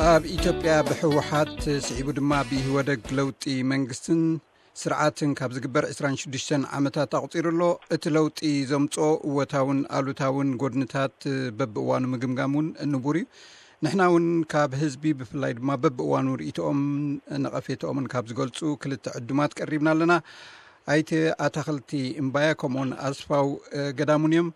ኣብ ኢትዮጵያ ብህወሓት ስዒቡ ድማ ብኢህወደግ ለውጢ መንግስትን ስርዓትን ካብ ዝግበር ዕስራን ሽዱሽተን ዓመታት ኣቑጺሩ ኣሎ። እቲ ለውጢ ዘምጽኦ እወታውን ኣሉታውን ጎድንታት በብእዋኑ ምግምጋም እውን ንቡር እዩ። ንሕና እውን ካብ ህዝቢ ብፍላይ ድማ በብእዋኑ ርእይቶኦምን ነቐፌታኦምን ካብ ዝገልጹ ክልተ ዕዱማት ቀሪብና ኣለና። ኣይተ ኣታኽልቲ እምባያ ከምኡውን ኣስፋው ገዳሙን እዮም።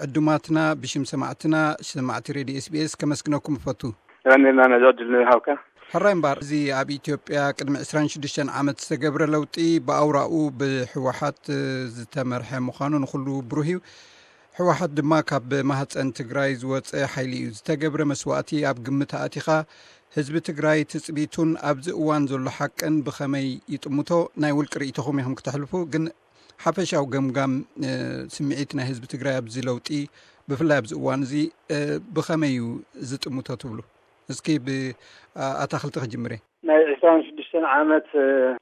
ዕዱማትና ብሽም ሰማዕትና፣ ሰማዕቲ ሬድዮ ኤስቢኤስ ከመስግነኩም እፈቱ። ቀኒልና ነዚ ዕድል ንሃብካ። ሕራይ እምባር፣ እዚ ኣብ ኢትዮጵያ ቅድሚ ዕስራን ሽዱሽተን ዓመት ዝተገብረ ለውጢ ብኣውራኡ ብህወሓት ዝተመርሐ ምዃኑ ንኹሉ ብሩህ እዩ። ህወሓት ድማ ካብ ማህፀን ትግራይ ዝወፀ ሓይሊ እዩ። ዝተገብረ መስዋእቲ ኣብ ግምት ኣእቲኻ ህዝቢ ትግራይ ትፅቢቱን ኣብዚ እዋን ዘሎ ሓቅን ብኸመይ ይጥምቶ? ናይ ውልቂ ርእይቶኹም ኢኹም ክተሕልፉ፣ ግን ሓፈሻዊ ገምጋም ስምዒት ናይ ህዝቢ ትግራይ ኣብዚ ለውጢ ብፍላይ ኣብዚ እዋን እዚ ብኸመይ እዩ ዝጥምቶ ትብሉ? እስኪ ብኣታኽልቲ ክጅምር እየ። ናይ ዕስራን ሽዱሽተን ዓመት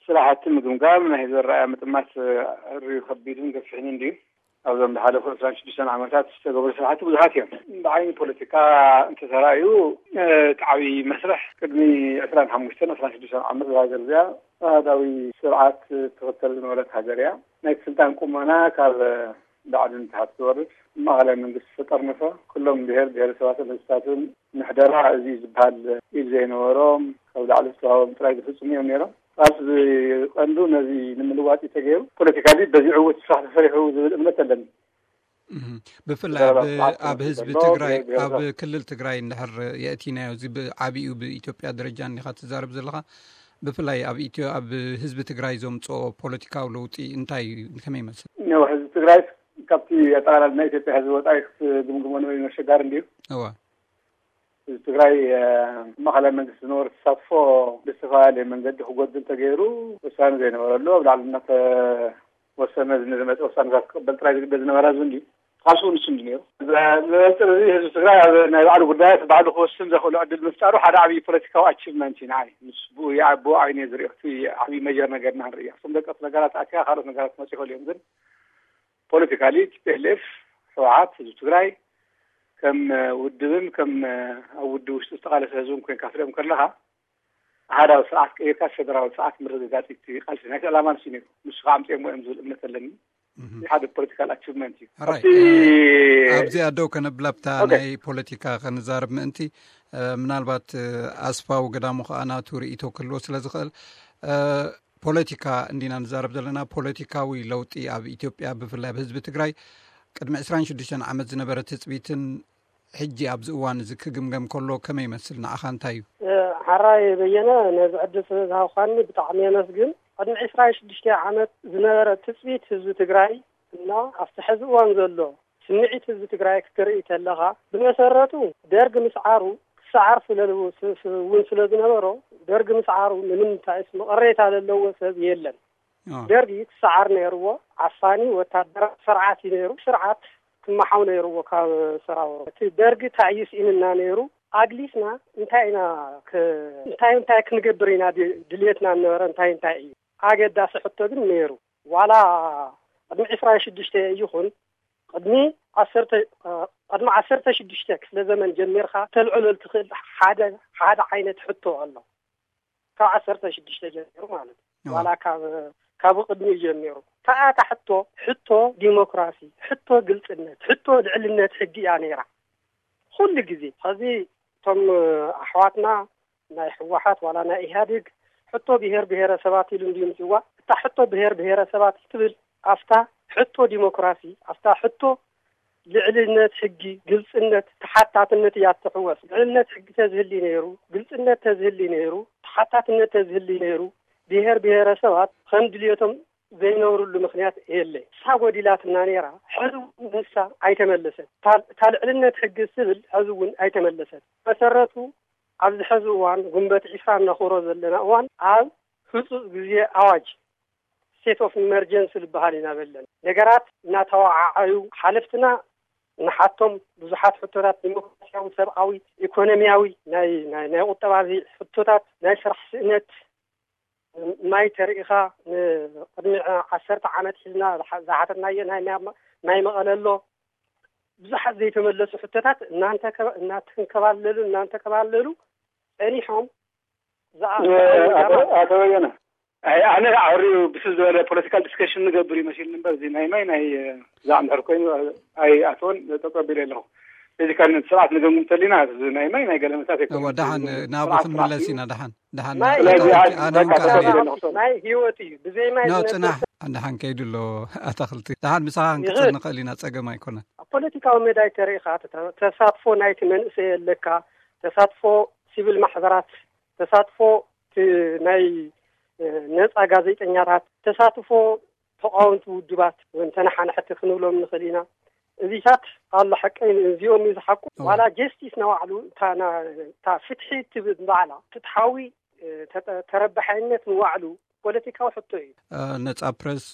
ስራሕቲ ምግምጋም ናይ ህዝቢ ኣረኣእያ ምጥማት ርዩ ከቢድን ገፊሕን እንድዩ። ኣብዞም ዝሓለፉ ዕስራን ሽዱሽተን ዓመታት ዝተገብሩ ስራሕቲ ብዙሓት እዮም። ብዓይኒ ፖለቲካ እንተተራእዩ እቲ ዓብዪ መስርሕ ቅድሚ ዕስራን ሓሙሽተን ዕስራን ሽዱሽተን ዓመት ዝሃገር እዚኣ ኣሃዳዊ ስርዓት ትኽተል ዝነበረት ሃገር እያ። ናይ ስልጣን ቁመና ካብ ላዕሊ ንታሕቲ ዝወርድ ማእኸላይ መንግስቲ ዝተጠርነፈ፣ ኩሎም ብሄር ብሄረሰባትን ህዝብታትን ምሕደራ እዚ ዝበሃል ኢድ ዘይነበሮም ካብ ላዕሊ ዝተዋህቦም ጥራይ ዝፍፅሙ እዮም ነይሮም። ቃልሲ ቀንዱ ነዚ ንምልዋጥ እዩ ተገይሩ። ፖለቲካሊ በዚ ዕውት ስራሕ ተሰሪሑ ዝብል እምነት ኣለኒ። ብፍላይ ኣብ ህዝቢ ትግራይ፣ ኣብ ክልል ትግራይ እንድሕር የእቲናዮ፣ እዚ ብዓቢኡ ብኢትዮጵያ ደረጃ እንዲኻ ትዛረብ ዘለኻ፣ ብፍላይ ኣብ ኢትዮ ኣብ ህዝቢ ትግራይ ዘምፅኦ ፖለቲካዊ ለውጢ እንታይ እዩ? ከመይ ይመስል? ያው ህዝቢ ትግራይ ካብቲ ኣጠቓላሊ ናይ ኢትዮጵያ ህዝቢ ወፃኢ ክትግምግሞ ንበይኑ ኣሸጋሪ እንድዩ። እዋ። ህዝቢ ትግራይ ማእኸላይ መንግስቲ ዝነበሩ ተሳትፎ ብዝተፈላለየ መንገዲ ክጎድል ተገይሩ፣ ውሳነ ዘይነበረሉ ኣብ ላዕሊ እናተወሰነ ዝመፀ ውሳነታት ክቅበል ጥራይ ዝግደድ ዝነበረ ህዝቢ እንድዩ። ቃልሱ ንሱ እንዲ ነይሩ። ብመንፅር እዚ ህዝቢ ትግራይ ኣብ ናይ ባዕሉ ጉዳያት ባዕሉ ክወስን ዘኽእሉ ዕድል ምፍጣሩ ሓደ ዓብዪ ፖለቲካዊ ኣቺቭመንት እዩ ንዓይ። ምስ ብኡ ብኡ ዓይነ ዝሪኦ እቲ ዓብዪ መጀር ነገርና ንርኢ። እቶም ደቀስ ነገራት ኣትያ ካልኦት ነገራት ክመፁ ይኽእሉ እዮም። ግን ፖለቲካሊ ቲፒኤልኤፍ፣ ህወሓት፣ ህዝቢ ትግራይ ከም ውድብን ከም ኣብ ውድብ ውሽጢ ዝተቓለሰ ህዝብን ኮይንካ ክትሪኦም ከለኻ ኣሃዳዊ ስርዓት ቀይርካ ፈደራዊ ስርዓት ምርግጋፅ እቲ ቃልሲ ናይቲ ዕላማ ንሱ ነይሩ። ንሱ ከዓ ኣምፅኦሞ እዮም ዝብል እምነት ኣለኒ። ሓደ ፖለቲካል ኣቺቭመንት እዩ። ኣብዚኣ ደው ከነብላ ብታ ናይ ፖለቲካ ከንዛርብ ምእንቲ ምናልባት ኣስፋው ገዳሙ ከዓ ናቱ ርእይቶ ክህልዎ ስለ ዝኽእል ፖለቲካ እንዲና ንዛረብ ዘለና። ፖለቲካዊ ለውጢ ኣብ ኢትዮጵያ ብፍላይ ኣብ ህዝቢ ትግራይ ቅድሚ ዕስራን ሽዱሽተን ዓመት ዝነበረ ትፅቢትን ሕጂ ኣብዚ እዋን እዚ ክግምገም ከሎ ከመይ ይመስል? ንዓኻ እንታይ እዩ? ሓራይ በየነ፣ ነዚ ዕድል ስለ ዝሃብካኒ ብጣዕሚ የመስግን። ቅድሚ ዕስራን ሽዱሽተ ዓመት ዝነበረ ትጽቢት ህዝቢ ትግራይ እና ኣብቲ ሕዚ እዋን ዘሎ ስምዒት ህዝቢ ትግራይ ክትርኢ ከለኻ፣ ብመሰረቱ ደርግ ምስዓሩ ክሰዓር ስለ እውን ስለ ዝነበሮ፣ ደርግ ምስዓሩ ምንም እንታይስ መቐሬታ ዘለዎ ሰብ የለን። ደርጊ ክሰዓር ነይርዎ። ዓፋኒ ወታደራዊ ስርዓት እዩ ነይሩ። ስርዓት ክመሓው ነይርዎ ካብ ሰራውሮ። እቲ ደርጊ እንታይ እዩ ስኢንና ነይሩ? ኣግሊስና እንታይ ኢና እንታይ እንታይ ክንገብር ኢና ድልየትና ነበረ? እንታይ እንታይ እዩ ኣገዳሲ ሕቶ ግን ነይሩ። ዋላ ቅድሚ ዕስራን ሽዱሽተ ይኹን ቅድሚ ዓሰርተ ቅድሚ ዓሰርተ ሽዱሽተ ክፍለ ዘመን ጀሚርካ ተልዕሎ ትኽእል ሓደ ሓደ ዓይነት ሕቶ ኣሎ። ካብ ዓሰርተ ሽዱሽተ ጀሚሩ ማለት እዩ። ዋላ ካብ ካብ ቅድሚኡ ጀሚሩ። ከኣታ ሕቶ ሕቶ ዲሞክራሲ፣ ሕቶ ግልፅነት፣ ሕቶ ልዕልነት ሕጊ እያ ነይራ ኩሉ ግዜ። ሕዚ እቶም ኣሕዋትና ናይ ህወሓት ዋላ ናይ ኢህኣዴግ ሕቶ ብሄር ብሄረሰባት ኢሉ እንድዩ ምፅዋ። እታ ሕቶ ብሄር ብሄረሰባት ትብል ኣብታ ሕቶ ዲሞክራሲ፣ ኣብታ ሕቶ ልዕልነት ሕጊ፣ ግልፅነት፣ ተሓታትነት እያ ትሕወስ። ልዕልነት ሕጊ ተዝህሊ ነይሩ፣ ግልፅነት ተዝህሊ ነይሩ፣ ተሓታትነት ተዝህሊ ነይሩ፣ ብሄር ብሄረሰባት ከም ድልየቶም ዘይነብርሉ ምኽንያት የለ። እሳ ጎዲላትና ነይራ፣ ሕዚ እውን ንሳ ኣይተመለሰት። እታ ልዕልነት ሕጊ ዝብል ሕዚ እውን ኣይተመለሰት። መሰረቱ ኣብዚ ሕዚ እዋን ጉንበት ዒስራ እናኾሮ ዘለና እዋን ኣብ ህፁፅ ግዜ ኣዋጅ ስቴት ኦፍ ኢመርጀንሲ ዝበሃል ኢና በለን። ነገራት እናተወዓዓዩ ሓለፍትና ንሓቶም ብዙሓት ሕቶታት ዲሞክራሲያዊ፣ ሰብኣዊ፣ ኢኮኖሚያዊ፣ ናይ ናይ ናይ ቁጠባዊ ሕቶታት፣ ናይ ስራሕ ስእነት ማይ ተሪኢኻ ንቅድሚ ዓሰርተ ዓመት ሒዝና ዝሓተትናዮ ናይ ማይ መቐለ ኣሎ። ብዙሓት ዘይተመለሱ ሕቶታት እናተንከባለሉ እናተንከባለሉ ጸኒሖም ዝኣ- ኣቶ በየነ፣ ኣነ ዓሪዩ ብስል ዝበለ ፖለቲካል ዲስከሽን ንገብር ይመስልኒ እምበር፣ እዚ ናይ ማይ ናይ ዛዕምሕር ኮይኑ ኣይኣተወን። ተቀቢለ ኣለኹ። እዚ ካብ ስርዓት ንገምግም እንተሊና፣ እዚ ናይ ማይ ናይ ገለ መታት ኣይኮነን። ደሓን ናብ ክንምለስ ኢና። ደሓን ደሓን ማይ ኣነ ህይወት እውን እዩ። ካል ማይ ህይወት እዩ። ብዘይ ማይ ኖ ዝነብር ፅናሕ። ደሓን ከይዱ ኣሎ። ኣታክልቲ ደሓን ምሳኻ ክንቅፅል ንኽእል ኢና፣ ፀገም ኣይኮነን። ኣብ ፖለቲካዊ መዳይ ተሪኢኻ፣ ተሳትፎ ናይቲ መንእሰይ ኣለካ፣ ተሳትፎ ሲቪል ማሕበራት፣ ተሳትፎ ናይ ነፃ ጋዜጠኛታት፣ ተሳትፎ ተቃወምቲ ውድባት ወይ ተነሓናሕቲ ክንብሎም ንኽእል ኢና። እዚታት ኣሎ ሓቀይ እዚኦም እዩ ዝሓቁ። ዋላ ጀስቲስ ንባዕሉ፣ እታ ፍትሒ ትብል ባዕላ ፍትሓዊ ተረባሓይነት ንባዕሉ ፖለቲካዊ ሕቶ እዩ። ነጻ ፕረስ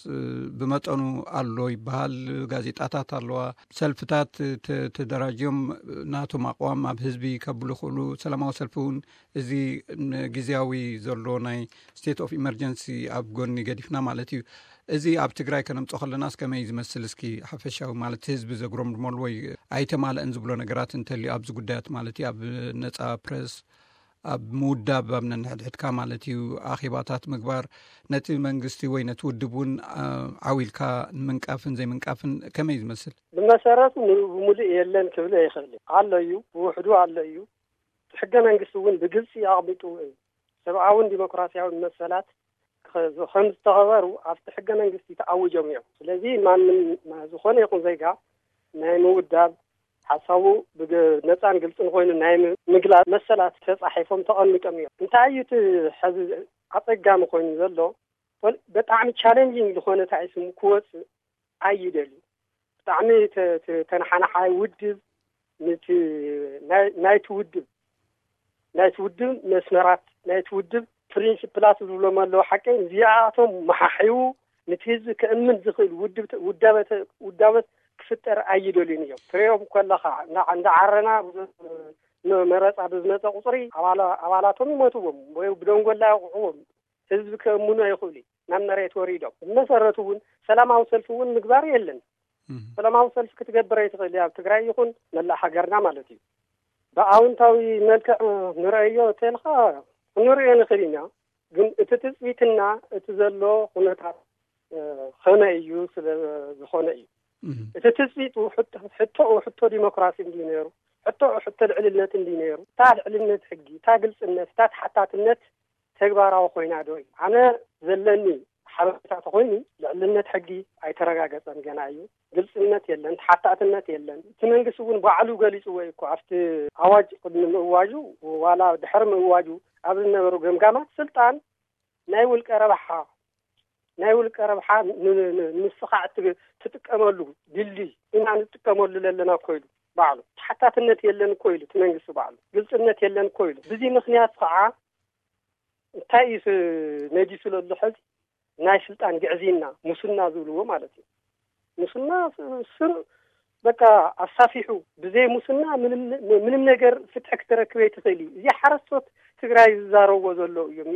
ብመጠኑ ኣሎ ይበሃል። ጋዜጣታት ኣለዋ። ሰልፍታት ተደራጅዮም ናቶም ኣቕዋም ኣብ ህዝቢ ከብሉ ይኽእሉ። ሰላማዊ ሰልፊ እውን እዚ ግዜያዊ ዘሎ ናይ ስቴት ኦፍ ኢመርጀንሲ ኣብ ጎኒ ገዲፍና ማለት እዩ። እዚ ኣብ ትግራይ ከነምጾ ከለናስ ከመይ ዝመስል? እስኪ ሓፈሻዊ ማለት ህዝቢ ዘጉረምርመሉ ወይ ኣይተማለእን ዝብሎ ነገራት እንተልዩ ኣብዚ ጉዳያት ማለት እዩ፣ ኣብ ነጻ ፕረስ ኣብ ምውዳብ ኣብ ነንሕድሕድካ ማለት እዩ ኣኼባታት ምግባር፣ ነቲ መንግስቲ ወይ ነቲ ውድብ እውን ዓው ኢልካ ንምንቃፍን ዘይምንቃፍን ከመይ ዝመስል? ብመሰረቱ ብሙሉእ የለን ክብል ኣይኽእል። ኣሎ እዩ፣ ብውሕዱ ኣሎ እዩ። ሕገ መንግስቲ እውን ብግልፂ ኣቕሚጥዎ እዩ። ሰብኣውን ዲሞክራሲያውን መሰላት ከም ዝተኸበሩ ኣብቲ ሕገ መንግስቲ ተኣዊጆም እዮም። ስለዚ ማንም ዝኾነ ይኹን ዜጋ ናይ ምውዳብ ሓሳቡ ብነፃን ግልፅን ኮይኑ ናይ ምግላፅ መሰላት ተፃሒፎም ተቐሚጦም እዮም። እንታይ እዩ እቲ ሕዚ ኣፀጋሚ ኮይኑ ዘሎ? ብጣዕሚ ቻለንጂንግ ዝኾነ ታይስም ክወፅእ ኣይደልዩ። ብጣዕሚ ተነሓናሓይ ውድብ ናይቲ ውድብ ናይቲ ውድብ መስመራት ናይቲ ውድብ ፕሪንስፕላት ዝብሎም ኣለዉ። ሓቀይ እዚኣቶም መሓሒቡ ነቲ ህዝቢ ከእምን ዝኽእል ውዳበት ክፍጠር ኣይደልዩን እዮም። ትሪኦም ከለኻ እንዳ ዓረና መረፃ ብዝመፀ ቁፅሪ ኣባላቶም ይሞትዎም ወይ ብደንጎላ ይቑዕዎም። ህዝቢ ከእምኑ ኣይኽእሉ። ናብ መሬት ወሪዶም ብመሰረቱ እውን ሰላማዊ ሰልፊ እውን ምግባር የለን። ሰላማዊ ሰልፊ ክትገብር ኣይትኽእል ኣብ ትግራይ ይኹን መላእ ሃገርና ማለት እዩ። ብኣውንታዊ መልክዕ ንረእዮ እተልካ ክንሪኦ ንኽእል ኢና። ግን እቲ ትፅቢትና እቲ ዘሎ ኩነታት ከመይ እዩ ስለ ዝኾነ እዩ። እቲ ትፅቢቱ ሕቶኡ ሕቶ ዲሞክራሲ እንዲ ነይሩ፣ ሕቶኡ ሕቶ ልዕልነት እንዲ ነይሩ፣ እታ ልዕልነት ሕጊ፣ እታ ግልፅነት፣ እታ ተሓታትነት ተግባራዊ ኮይና ዶ እዩ? ኣነ ዘለኒ ሓበሬታ ተኮይኑ ልዕልነት ሕጊ ኣይተረጋገፀን ገና እዩ። ግልፅነት የለን፣ ተሓታትነት የለን። እቲ መንግስቲ እውን ባዕሉ ገሊፅዎ እዩ እኮ ኣብቲ ኣዋጅ ቅድሚ ምእዋጁ ዋላ ድሕሪ ምእዋጁ ኣብ ዝነበሩ ገምጋማት ስልጣን ናይ ውልቀ ረብሓ ናይ ውልቀ ረብሓ ንምስኻዕ ትጥቀመሉ ድልድይ ኢና ንጥቀመሉ ዘለና እኮ ኢሉ ባዕሉ። ተሓታትነት የለን እኮ ኢሉ እቲ መንግስቲ ባዕሉ። ግልፅነት የለን እኮ ኢሉ። ብዚ ምክንያት ከዓ እንታይ እዩ ነጊሱ ዘሎ ሕዚ? ናይ ስልጣን ግዕዝይና፣ ሙስና ዝብልዎ ማለት እዩ። ሙስና ስር በቃ ኣሳፊሑ፣ ብዘይ ሙስና ምንም ነገር ፍትሒ ክትረክብ ኣይትኽእል እዩ። እዚ ሓረስቶት ትግራይ ዝዛረብዎ ዘለዉ እዮም።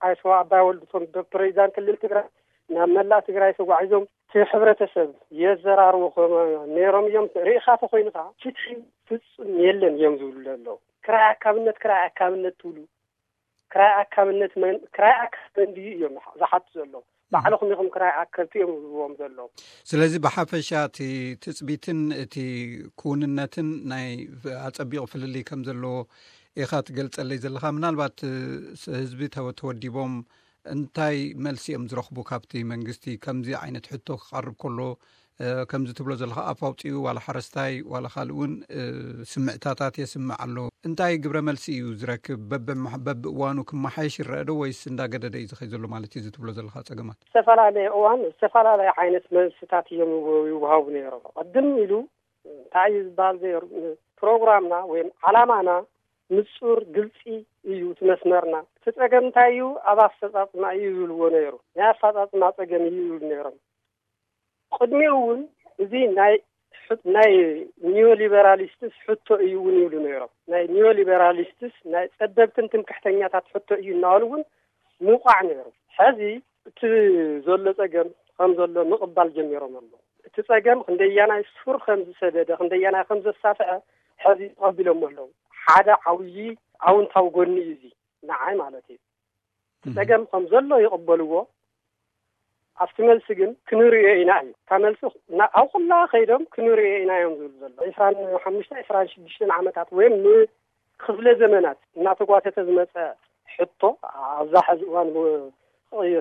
ኣይተ ኣባይ ወልዱ እቶም ፕሬዚዳንት ክልል ትግራይ ናብ መላእ ትግራይ ተጓዒዞም እቲ ሕብረተሰብ የዘራርቡ ነይሮም እዮም። ርኢኻ ተኮይኑ ከዓ ፍትሒ ፍፁም የለን እዮም ዝብሉ ዘለዉ። ክራይ ኣካብነት ክራይ ኣካብነት ትብሉ ክራይ ኣካብነት መን ክራይ ኣካብ መን ድዩ እዮም ዝሓቱ ዘለዉ? ባዕልኹም ኢኹም ክራይ ኣከብቲ እዮም ዝብዎም ዘለዉ። ስለዚ ብሓፈሻ እቲ ትፅቢትን እቲ ክውንነትን ናይ ኣፀቢቑ ፍልልይ ከም ዘለዎ ኢኻ ትገልፀለይ ዘለኻ። ምናልባት ህዝቢ ተወዲቦም እንታይ መልሲ እዮም ዝረኽቡ ካብቲ መንግስቲ ከምዚ ዓይነት ሕቶ ክቐርብ ከሎ? ከምዚ ትብሎ ዘለካ ኣፍ ኣውፅኡ ዋላ ሓረስታይ ዋላ ካልእ እውን ስምዕታታት የስምዕ ኣሎ። እንታይ ግብረ መልሲ እዩ ዝረክብ? በብእዋኑ ክመሓየሽ ይረአ ዶ ወይስ እንዳገደደ እዩ ዝኸይ ዘሎ ማለት እዩ እዚ ትብሎ ዘለካ ፀገማት? ዝተፈላለየ እዋን ዝተፈላለየ ዓይነት መልስታት እዮም ይወሃቡ ነይሮም። ቅድም ኢሉ እንታይ እዩ ዝበሃል ነይሩ? ፕሮግራምና ወይም ዓላማና ንፁር ግልፂ እዩ እቲ መስመርና። እቲ ፀገም እንታይ እዩ? ኣብ ኣፈፃፅማ እዩ ይብልዎ ነይሩ። ናይ ኣፈፃፅማ ፀገም እዩ ይብሉ ነይሮም። ቅድሚኡ እውን እዚ ናይ ናይ ኒዮሊበራሊስትስ ሕቶ እዩ እውን ይብሉ ነይሮም። ናይ ኒዮሊበራሊስትስ ናይ ፀበብትን ትምክሕተኛታት ሕቶ እዩ እናበሉ እውን ምውቃዕ ነይሩ። ሕዚ እቲ ዘሎ ፀገም ከም ዘሎ ምቕባል ጀሚሮም ኣለዉ። እቲ ፀገም ክንደያናይ ሱር ከም ዝሰደደ ክንደያናይ ከም ዘሳፍዐ ሕዚ ተቐቢሎም ኣለዉ። ሓደ ዓብዪ ኣውንታዊ ጎኒ እዩ እዚ ንዓይ ማለት እዩ። ጸገም ከም ዘሎ ይቕበልዎ። ኣብቲ መልሲ ግን ክንርእዮ ኢና እዩ። እታ መልሲ ና-፣ ኣብ ኩላ ከይዶም ክንርእዮ ኢና እዮም ዝብሉ ዘሎ። ዕስራን ሓሙሽተ ዕስራን ሽዱሽተን ዓመታት ወይም ንክፍለ ዘመናት እናተጓተተ ዝመጸ ሕቶ ኣብዛ ሕዚ እዋን ብ-፣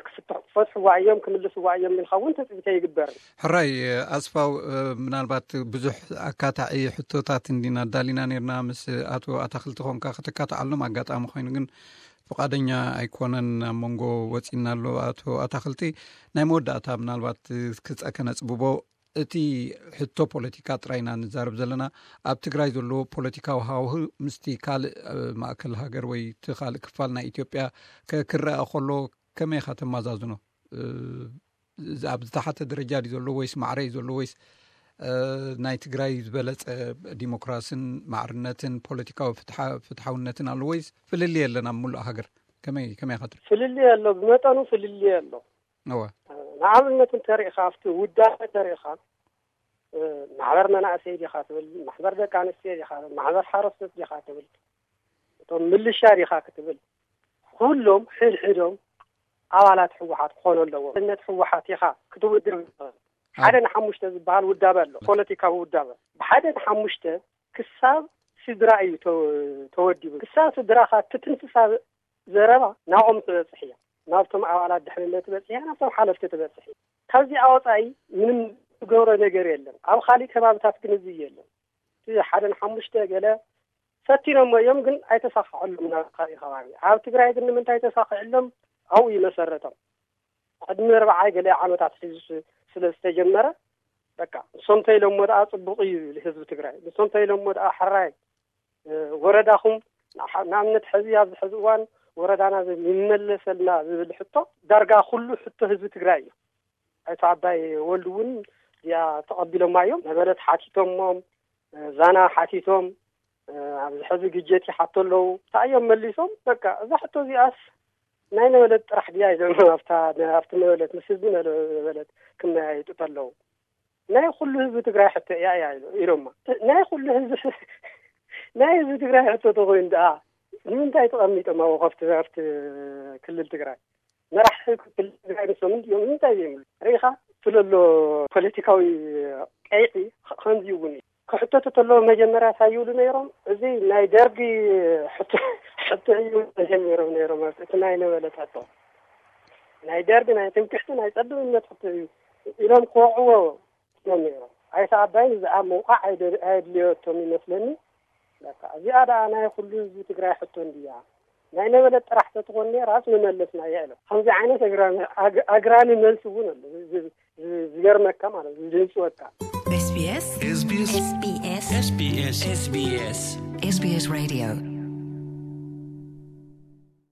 ክፍትሕ-፣ ክፈትሕዋ እዮም፣ ክምልስዋ እዮም ኢልካ እውን ትጽቢት ኣይግበርን። ሕራይ ኣስፋው፣ እ፣ ምናልባት ብዙሕ ኣካታዒ ሕቶታት እንዲና ኣዳሊና ነርና። ምስ ኣቶ ኣታኽልቲ ኮንካ ከተካትዓሎም ኣጋጣሚ ኮይኑ ግን ፍቓደኛ ኣይኮነን፣ ኣብ መንጎ ወጺና ኣሎ። ኣቶ ኣታኽልቲ፣ ናይ መወዳእታ ምናልባት ክጸ-፣ ከነጽብቦ፣ እቲ ሕቶ ፖለቲካ ጥራይ ኢና ንዛረብ ዘለና። ኣብ ትግራይ ዘሎ ፖለቲካዊ ሃዋሁ ምስቲ ካልእ፣ እ፣ ማእከል ሃገር ወይ እቲ ካልእ ክፋል ናይ ኢትዮጵያ ከ-፣ ክረኣ ከሎ ከመይ ኢኻ ተመዛዝኖ? እ፣ ዝ-፣ ኣብ ዝተሓተ ደረጃ ድዩ ዘሎ ወይስ ማዕረ እዩ ዘሎ ወይስ፣ እ፣ ናይ ትግራይ ዝበለጸ ዲሞክራስን ማዕርነትን ፖለቲካዊ ፍትሓ-፣ ፍትሓውነትን ኣሎ ወይስ ፍልልይ የለን ኣብ ምሉእ ሃገር? ከመይ፣ ከመይ ኢኻ ትርኢ? ፍልልይ ኣሎ፣ ብመጠኑ ፍልልይ ኣሎ። እወ። ንኣብነት እንተሪኢኻ፣ ኣብቲ ውዳበ ተሪኢኻ፣ እ፣ ማሕበር መናእሰይ ዲኻ ትብል፣ ማሕበር ደቂ ኣንስትዮ ዲኻ ትብል፣ ማሕበር ሓረስቶት ዲኻ ትብል፣ እቶም ምልሻ ዲኻ ክትብል፣ ኩሎም ሕድሕዶም ኣባላት ህወሓት ክኾኑ ኣለዎም። ኣብነት ህወሓት ኢኻ ክትውድብ። ሓደ ንሓሙሽተ ዝበሃል ውዳበ ኣሎ፣ ፖለቲካዊ ውዳበ። ብሓደ ንሓሙሽተ ክሳብ ስድራ እዩ ተ-፣ ተወዲቡ። ክሳብ ስድራኻ ትትንፍሳ ዘረባ ናብኦም ትበጽሕ እያ። ናብቶም ኣባላት ድሕንነት ትበጽሕ እያ፣ ናብቶም ሓለፍቲ ትበጽሕ እያ። ካብዚኣ ወጻኢ ምንም ዝገብሮ ነገር የለን። ኣብ ካሊእ ከባብታት ግን እዚ የለን። እቲ ሓደ ንሓሙሽተ ገለ ፈቲኖሞ እዮም፣ ግን ኣይተሳኽዐሎም ናብ ካሊእ ከባቢ። ኣብ ትግራይ ግን ንምንታይ ተሳኺዕሎም? ኣብኡ ይመሰረቶም። ቅድሚ ኣርብዓ ገለ ዓመታት ሒዙ ስ-፣ ስለ ዝተጀመረ፣ በቃ፣ ንሶም ተይሎሞ ደኣ ጽቡቕ እዩ ይብል ህዝቢ ትግራይ። ንሶም ተይሎሞ ደኣ ሕራይ፣ እ፣ ወረዳኹም፣ ንሓ-፣ ንኣብነት፣ ሕዚ ኣብዚ ሕዚ እዋን ወረዳና ዘ-፣ ይመለሰልና ዝብል ሕቶ፣ ዳርጋ ኩሉ ሕቶ ህዝቢ ትግራይ እዩ። ኣይቶ ኣባይ ወልዱ እውን እዚኣ ተቐቢሎማ እዮም። ነበለት ሓቲቶሞም፣ እ፣ ዛና ሓቲቶም፣ እ፣ ኣብዚ ሕዚ ግጀት ይሓቶ ኣለዉ። እንታይ እዮም መሊሶም? በቃ፣ እዛ ሕቶ እዚኣስ ናይ ነበለት ጥራሕ ድያ ኢሎም ኣብታ፣ ኣብቲ ነበለት ምስ ህዝቢ ነበለት ክመያየጡ ተለዉ። ናይ ኩሉ ህዝቢ ትግራይ ሕቶ እያ እያ ኢሎ-፣ ኢሎማ። ናይ ኩሉ ህዝቢ፣ ናይ ህዝቢ ትግራይ ሕቶ ተኾይኑ ደኣ ንምንታይ ተቐሚጦም ኣብኡ ከፍቲ፣ ኣብቲ ክልል ትግራይ? መራሒ ክልል ትግራይ ንሶም እንዲኦም ንምንታይ ዘይብሉ? ርኢኻ? ስለሎ ፖለቲካዊ ቀይሒ ከ-፣ ከምዚ እውን እዩ። ክሕተቱ ተለዉ መጀመርያ እንታይ ይብሉ ነይሮም? እዚ ናይ ደርጊ ሕቶ፣ ሕቶ እዩ ተጀሚሮም ነይሮም። እቲ ናይ ነበለት ሕቶ ናይ ደርጊ፣ ናይ ትምክሕቲ፣ ናይ ጸብብነት ሕቶ እዩ ኢሎም ክወቕዕዎ እዮም ነይሮም። ኣይተ ኣባይን እዚኣ ምውቃዕ ኣይደ-፣ ኣየድልዮቶም ይመስለኒ። በቃ፣ እዚኣ ደኣ ናይ ኩሉ ህዝቢ ትግራይ ሕቶ እንድያ። ናይ ነበለት ጥራሕ ተትኾን ነይራስ ምመለስናያ ኢሎም። ከምዚ ዓይነት ኣግራሚ-፣ ኣግ-፣ ኣግራሚ መልሲ እውን ኣሎ። ዝ-፣ ዝ-፣ ዝገርመካ ማለት እዩ፣ ዝድንፅወካ። SBS SBS SBS SBS SBS Radio